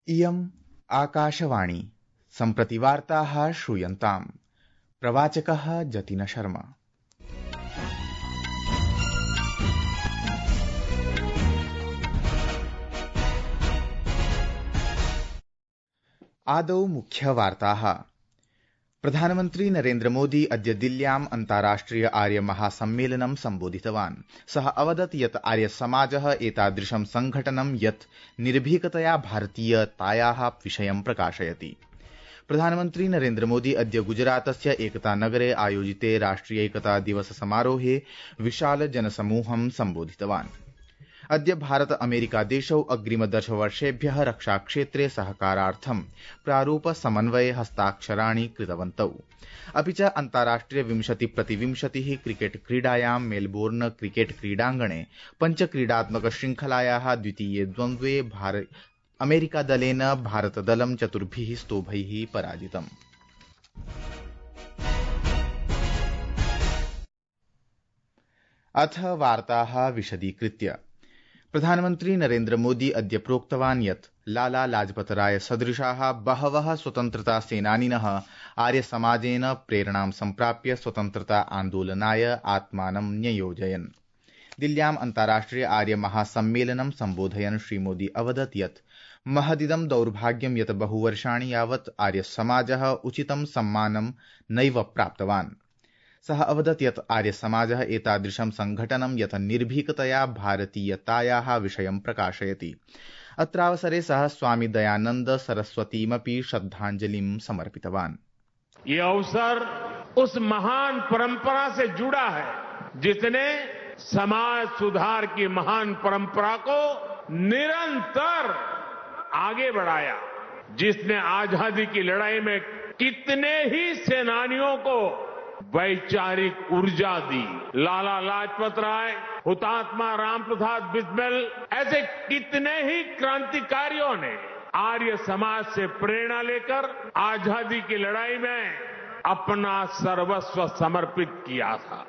इयम् आकाशवाणी सम्प्रति वार्ताः श्रूयन्ताम्। प्रवाचकः जतिन शर्मा। आदौ मुख्यवार्ताः। प्रधानमन्त्री नरेन्द्र मोदी अद्य दिल्ल्याम् अन्ताराष्ट्रिय आर्य महासम्मेलनं सम्बोधितवान्। सः अवदत् यत् आर्य समाजः एतादृशं संघटनं यत् निर्भीकतया भारतीयतायाः विषयं प्रकाशयति। प्रधानमन्त्री नरेन्द्र मोदी अद्य गुजरातस्य एकता नगरे आयोजिते राष्ट्रिय एकता दिवस समारोहे विशाल जनसमूहं सम्बोधितवान्। अद्य भारत अमेरिका देशौ अग्रिम 10 वर्षेभ्यः रक्षाक्षेत्रे सहकारार्थं प्रारूप समन्वये हस्ताक्षराणि कृतवन्तौ। अपि च अन्ताराष्ट्रिय 20x20 क्रिकेट क्रीडायां मेलबोर्न क्रिकेट क्रीडाङ्गणे पञ्चक्रीडात्मक श्रृंखलायाः द्वितीये द्वन्द्वे अमेरिका दलेन भारतदलं 4 स्तोभैः पराजितम्। अथ वार्ताः विशदीकृत्य। प्रधानमन्त्री नरेन्द्र मोदी अद्य प्रोक्तवान् यत् लाला लाजपत राय सदृशाः बहवः स्वतन्त्रता सेनानिनः आर्य समाजेन प्रेरणां सम्प्राप्य स्वतन्त्रता आन्दोलनाय आत्मानं न्ययोजयन्। दिल्ल्याम् अन्ताराष्ट्रिय आर्य महासम्मेलनं सम्बोधयन् श्रीमोदी अवदत् यत् महदिदं दौर्भाग्यं यत् बहुवर्षाणि यावत् आर्य समाजः उचितं सम्मानं नैव प्राप्तवान्। सः अवदत् यत् आर्य समाजः एतादृशं संघटनं यत् निर्भीकतया भारतीयतायाः विषयं प्रकाशयति। अत्रावसरे सः स्वामी दयानन्द सरस्वतीमपि श्रद्धाञ्जलिं समर्पितवान्। ये अवसर उस महान परंपरा से जुड़ा है जिसने समाज सुधार की महान परंपरा को निरंतर आगे बढ़ाया, जिसने आजादी की लड़ाई में कितने ही सेनानियों को वैचारिक ऊर्जा दी। लाला लाजपत राय, हुतात्मा राम प्रसाद बिस्मिल, ऐसे कितने ही क्रांतिकारियों ने आर्य समाज से प्रेरणा लेकर आजादी की लड़ाई में अपना सर्वस्व समर्पित किया था।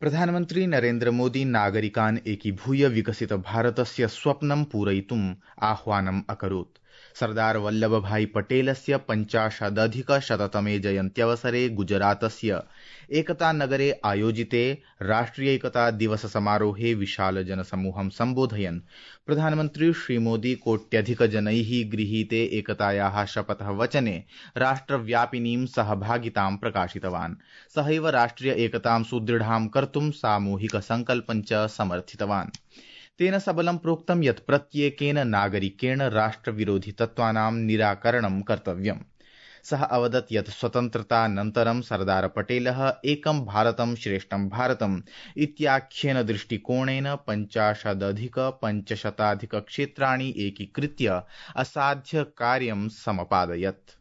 प्रधानमन्त्री नरेन्द्र मोदी नागरिकान् एकीभूय विकसित भारतस्य स्वप्नं पूरयितुम् आह्वानम् अकरोत्। सरदार वल्लभभाई पटेलस्य 50+ जयन्त्यवसरे गुजरातस्य एकता नगरे आयोजिते राष्ट्रिय एकता दिवस समारोहे विशाल जनसमूहं सम्बोधयन् प्रधानमन्त्री श्रीमोदी कोट्यधिकजनैः गृहीते एकतायाः शपथः वचने राष्ट्रव्यापिनीं सहभागितां प्रकाशितवान्। सहैव राष्ट्रिय एकतां सुदृढां कर्तुं सामूहिक संकल्पं च समर्थितवान्। तेन सबलं प्रोक्तं यत् प्रत्येकेन नागरिकेण राष्ट्रविरोधि तत्त्वानां निराकरणं कर्तव्यम्। सः अवदत् यत् स्वतन्त्रतानन्तरं सरदार पटेलः एकं भारतं श्रेष्ठं भारतम् इत्याख्येन दृष्टिकोणेन 50+ क्षेत्राणि एकीकृत्य असाध्य कार्यं समपादयत्।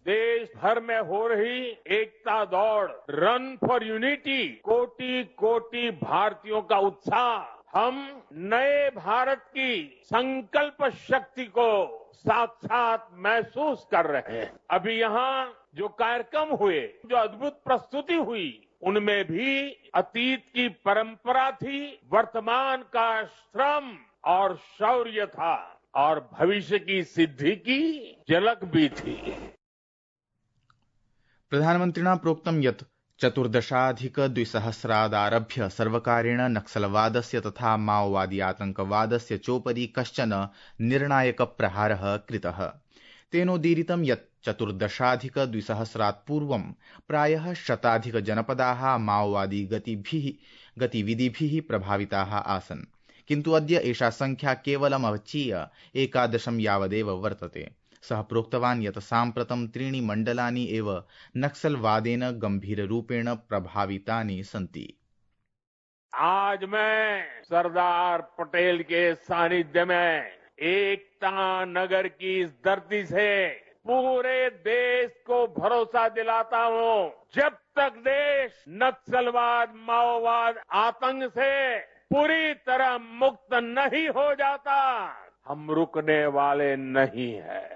देश भर में हो रही एकता दौड़, रन फॉर यूनिटी, कोटि कोटि भारतीयों का उत्साह हम नए भारत की संकल्प शक्ति को साक्षात महसूस कर रहे हैं। अभी यहाँ जो कार्यक्रम हुए, जो अद्भुत प्रस्तुति हुई, उनमें भी अतीत की परंपरा थी, वर्तमान का श्रम और शौर्य था और भविष्य की सिद्धि की झलक भी थी। प्रधानमन्त्रिणा प्रोक्तं यत् 14+ सर्वकारेण नक्सलवादस्य तथा माओवादी आतंकवादस्य चोपरि कश्चन निर्णायक प्रहारः कृतः। तेनोदीरितं यत् 14+ पूर्वं प्रायः 100 जनपदाः माओवादी गतिविधिभिः प्रभाविताः आसन्, किन्तु अद्य एषा संख्या केवलमवचीय 11 यावदेव वर्तते। सः प्रोक्तवान् यत् साम्प्रतं 3 मण्डलानि एव नक्सलवादेन गंभीररूपेण प्रभावितानि सन्ति। आज मैं सरदार पटेल के सानिध्य में एकता नगर की इस धरती से पूरे देश को भरोसा दिलाता हूं, जब तक देश नक्सलवाद, माओवाद, आतंक से पूरी तरह मुक्त नहीं हो जाता, हम रुकने वाले नहीं हैं।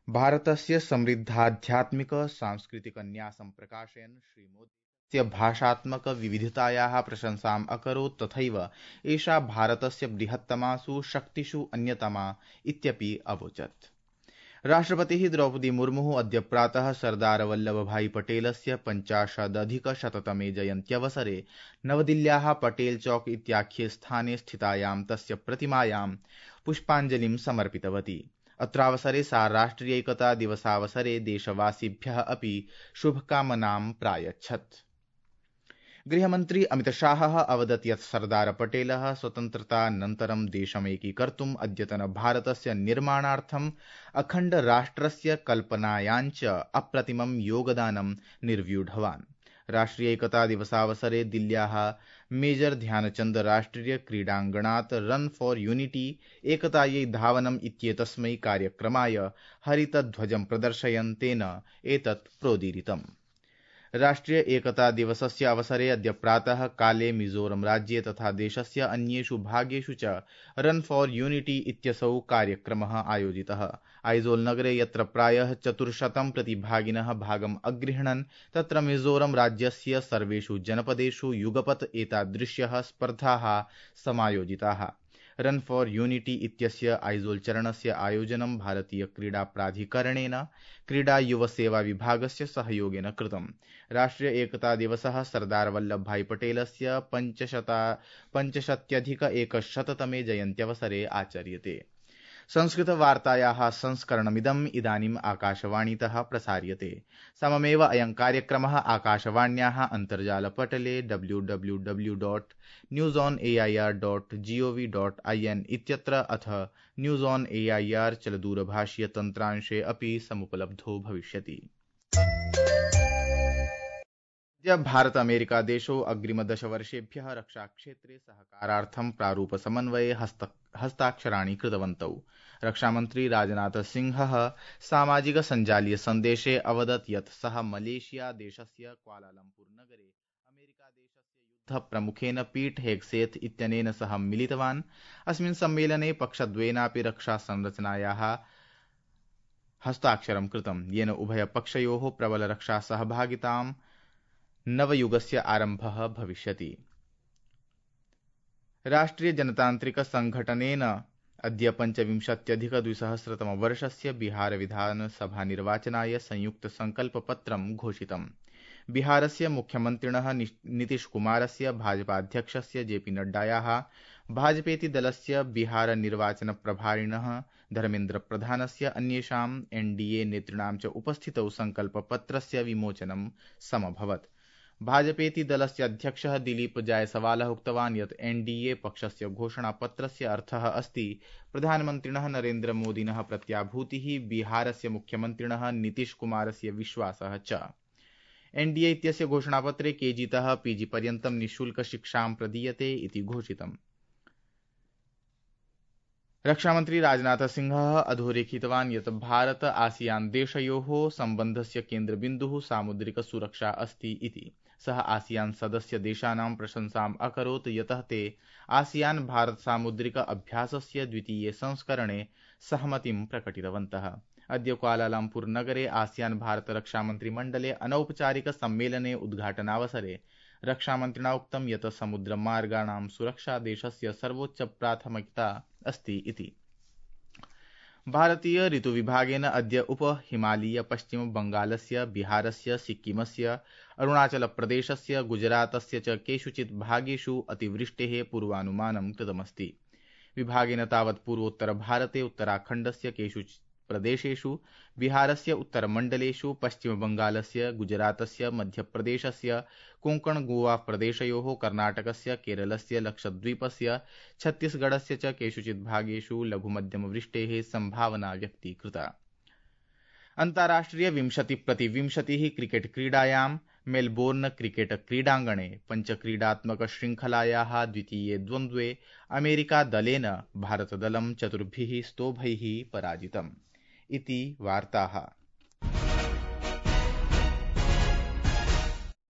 भारतस्य समृद्धाध्यात्मिक सांस्कृतिक न्यासं प्रकाशयन् श्री मोदी भारतस्य भाषात्मक विविधतायाः प्रशंसाम् अकरोत् तथैव एषा भारतस्य बृहत्तमासु शक्तिषु अन्यतमा इत्यपि अवोचत्। राष्ट्रपतिः द्रौपदी मुर्मुः अद्य प्रातः सरदार वल्लभभाई पटेलस्य 50-अधिकशततमे जयन्त्यवसरे नवदिल्ल्याः पटेल चौक इत्याख्ये स्थाने स्थितायां तस्य प्रतिमायां पुष्पाञ्जलिं समर्पितवती। अत्रावसरे सा राष्ट्रियैकता दिवसावसरे देशवासिभ्यः अपि शुभकामनां प्रायच्छत्। गृहमन्त्री अमितशाहः अवदत् यत् सरदार पटेलः स्वतन्त्रतानन्तरं देशमेकीकर्तुम् अद्यतन भारतस्य निर्माणार्थम् अखण्ड राष्ट्रस्य कल्पनायाञ्च अप्रतिमं योगदानं निर्व्यूढवान्। राष्ट्रियैकता दिवसावसरे दिल्ल्याः मेजर ध्यानचन्द राष्ट्रिय क्रीडाङ्गणात् रन फॉर यूनिटी एकतायै धावनम् इत्येतस्मै कार्यक्रमाय हरितध्वजं प्रदर्शयन् तेन एतत् प्रोदीरितम्। राष्ट्रिय एकता दिवसस्य अवसरे अद्य प्रातः काले मिजोरम राज्ये तथा देशस्य अन्येषु भागेषु च रन फॉर यूनिटी इत्यसौ कार्यक्रमः आयोजितः। आइजोल नगरे यत्र प्रायः 400 प्रतिभागिनः भागम् अगृह्णन् तत्र मिजोरम राज्यस्य सर्वेषु जनपदेषु युगपत् एतादृश्यः स्पर्धाः समायोजिताः। रन फॉर यूनिटी इत्यस्य आइजोल चरणस्य आयोजनं भारतीय क्रीडा प्राधिकरणेन क्रीडा युव सेवा विभागस्य सहयोगेन कृतम्। राष्ट्रिय एकता दिवसः सरदार वल्लभभाई पटेलस्य 550-100तमे जयन्त्यवसरे आचर्यते। संस्कृतवार्तायाः संस्करणमिदम् इदानीम् आकाशवाणीतः प्रसार्यते। सममेव अयं कार्यक्रमः आकाशवाण्याः अन्तर्जालपटले www.newsonair.gov.in इत्यत्र अथ न्यूज़ ऑन एआईआर चलदूरभाषीय तन्त्रांशे अपि समुपलब्धो भविष्यति। भारत अमेरिका देशौ अग्रिम 10 वर्षेभ्यः रक्षाक्षेत्रे सहकारार्थं प्रारूप समन्वये हस्ताक्षराणि कृतवन्तौ। रक्षामन्त्री राजनाथ सिंहः सामाजिक सञ्जालीय सन्देशे अवदत् यत् सः मलेशिया देशस्य क्वालालम्पुर नगरे अमेरिका देशस्य युद्धप्रमुखेन पीट हेग्सेथ इत्यनेन सह मिलितवान्। अस्मिन् सम्मेलने पक्षद्वयेनापि रक्षा संरचनायाः हस्ताक्षरं कृतं, येन उभयपक्षयोः प्रबल रक्षा सहभागितां नवयुगस्य आरम्भः भविष्यति। राष्ट्रिय जनतान्त्रिक संघटनेन अद्य 25-अधिक-2000 बिहार विधानसभा निर्वाचनाय संयुक्त संकल्पपत्रं घोषितम्। बिहारस्य मुख्यमन्त्रिणः नीतीश कुमारस्य, भाजपाध्यक्षस्य जेपी नड्डायाः, भाजपेति दलस्य बिहार निर्वाचन प्रभारिणः धर्मेन्द्र प्रधानस्य, अन्येषाम् एनडीए नेतॄणां च उपस्थितौ संकल्पपत्रस्य विमोचनं समभवत्। भाजपेति दलस्य अध्यक्षः दिलीप जायसवालः उक्तवान् यत् एनडीए पक्षस्य घोषणापत्रस्य अर्थः अस्ति प्रधानमन्त्रिणः नरेन्द्र मोदिनः प्रत्याभूतिः, बिहारस्य मुख्यमन्त्रिणः नीतीश कुमारस्य विश्वासः च। एनडीए इत्यस्य घोषणापत्रे केजीतः पीजी पर्यन्तं निःशुल्क शिक्षां प्रदीयते इति घोषितम्। रक्षामन्त्री राजनाथ सिंहः अधोरेखितवान् यत् भारत आसियान देशयोः सम्बन्धस्य केन्द्रबिन्दुः सामुद्रिक सुरक्षा अस्ति इति। सः आसियान सदस्य देशानां प्रशंसाम् अकरोत् यतः ते आसियान भारत सामुद्रिक अभ्यासस्य द्वितीये संस्करणे सहमतिं प्रकटितवन्तः। अद्य क्वालालम्पुर नगरे आसियान भारत रक्षामन्त्रिमण्डले अनौपचारिक सम्मेलने उद्घाटनावसरे रक्षामन्त्रिणा उक्तं यत् समुद्रमार्गाणां सुरक्षा देशस्य सर्वोच्च प्राथमिकता अस्ति इति। भारतीय ऋतुविभागेन अद्य उपहिमालयीय पश्चिम बंगालस्य, बिहारस्य, सिक्किमस्य, अरुणाचलप्रदेशस्य, गुजरातस्य च केषुचित् भागेषु अतिवृष्टेः पूर्वानुमानं कृतमस्ति। विभागेन तावत् पूर्वोत्तरभारते उत्तराखण्डस्य केषुचित् प्रदेशेषु, बिहारस्य उत्तरमण्डलेषु, पश्चिमबंगालस्य, गुजरातस्य, मध्यप्रदेशस्य, कोङ्कण गोवा प्रदेशयोः, कर्णाटकस्य, केरलस्य, लक्षद्वीपस्य, छत्तीसगढस्य च केषुचित् भागेषु लघुमध्यमवृष्टेः संभावना व्यक्तीकृता। अन्ताराष्ट्रिय 20x20 क्रिकेट क्रीडायां मेलबोर्न क्रिकेट क्रीडाङ्गणे पञ्चक्रीडात्मक श्रृङ्खलायाः द्वितीये द्वन्द्वे अमेरिका दलेन भारतदलं 4 स्तोभैः पराजितम् इति वार्ताः।